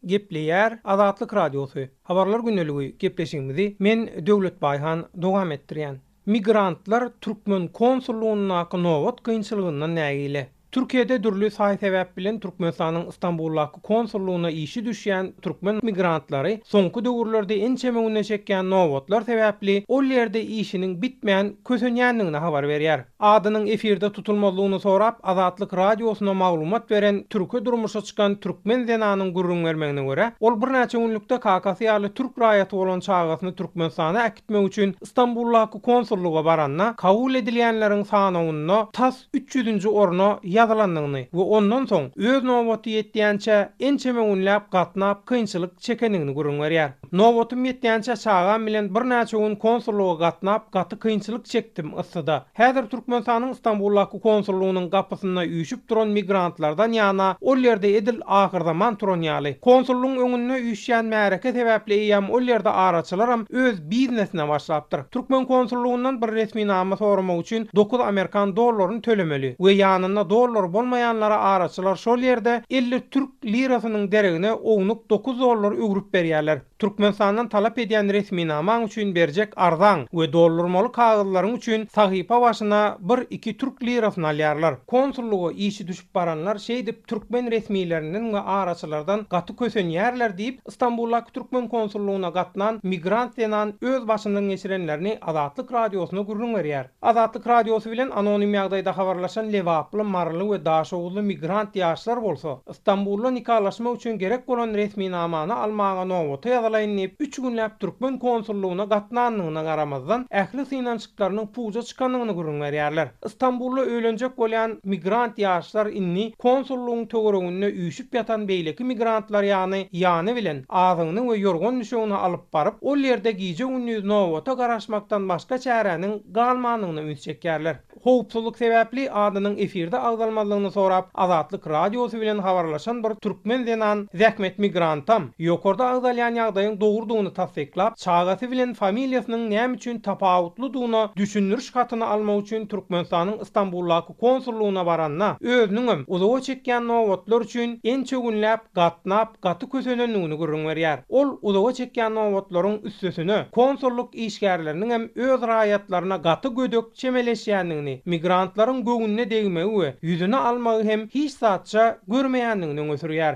Gepleýär Azatlyk Radiosy, Habarlar gündeligi gepleşigimizi men Döwlet Baýhan dowam etdirýän. Migrantlar türkmen konsullygyndaky nobat kynçylygyndan nägile. Türkiýede dürli saý-sebäp bilen Türkmenistanyň Stambuldaky konsullygyna işi düşýän türkmen migrantlary soňky döwürlerde ençeme güne çekýän nobatlar sebäpli ol ýerde işiniň bitmän kösenýändigini habar berýär. Adynyň efirde tutulmazlygyny sorap, Azatlyk Radiosyna maglumat beren türke durmuşa çykan türkmen zenanyň gürrüň bermegine görä, ol birnäçe günlükde kakasy ýaly türk raýaty bolan çagasyny Türkmenistana äkitmek üçin Stambuldaky konsullyga baranda, kabul edilýänleriň sanawynda tas üç ýüzünji orna ýazylandygyny we ondan soň öz nobaty ýetýänçä ençeme günläp gatnap kynçylyk çekendigini gürrüň berýär. Nobatym ýetýänçä çagam bilen birnäçe gün konsullyga gatnap gaty kynçylyk çekdim yssyda. Häzir Türkmenistanyň Stambuldaky konsullygynyň gapysynda üýşüp duran migrantlardan ýana ol ýerde edil ahyrzaman turan ýaly. Konsullygyň öňünde üýşýän märeke sebäpli eýýäm ol ýerde araçylaram öz biznesine başlapdyr. Türkmen konsullygyndan bir resminama soramak üçin dokuz amerikan dollaryny tölemeli we ýanynda dollary bolmaýanlara araçylar şol ýerde 50 türk lirasynyň deregine ownuk dokuz dollar öwrüp berýärler. Türkmenistandan talap edýän resminamaň üçin berjek arzaň we doldurmaly kagyzlaryň üçin sahypa başyna bir-iki türk lirasyny alýarlar. Konsullyga işi düşüp baranlar şeýdip türkmen resmilerinden we araçylardan gaty kösenýärler diýip, Stambuldaky türkmen konsullygyna gatnan migrant zenan öz başyndan geçirenlerini Azatlyk Radiosyna gürrüň berýär. Azatlyk Radiosy bilen anonim ýagdaýda habarlaşan lebaply, maryly we daşoguzly migrant ýaşlar bolsa, Stambulda nikalaşmak üçin gerek bolan resminamany almaga nobata ýazylaýyn diýip, üç günläp türkmen konsullygyna gatnandygyna garamazdan, ähli synanyşyklarynyň puja çykandygyny gürrüň berýärler. Stambulda öýlenjek bolýan migrant ýaşlar indi konsullygyň töwereginde üýşüp ýatan beýleki migrantlar ýany ýany bilen azygyny we ýorgan-düşegini alyp baryp, ol ýerde gije-gündiz nobata garaşmakdan başga çäräniň galmandygyna üns çekýärler. Howpsuzlyk sebäpli adynyň efirde agzalmazlygyny sorap, Azatlyk Radiosy bilen habarlaşan bir türkmen zenan zähmet migrantam ýokarda agzalýan ýagdaýyň dogrudygyny tassyklap, çagasy bilen familiýasynyň näme üçin tapawutlydygyna düşündiriş hatyny almak üçin Türkmenistanyň Stambuldaky konsullygyna baranda, özüniňem uzaga çekýän nobatlar üçin ençe günläp gatnap, gaty kösenendigini gürrüň berýär. Ol uzaga çekýän nobatlaryň üstesine, konsullyk işgärleriniňem öz raýatlaryna gaty gödek çemeleşýändigini, migrantlaryň göwnüne degmegi we ýüzüne almagy hem hiç zatça görmeýändigini öňe sürýär.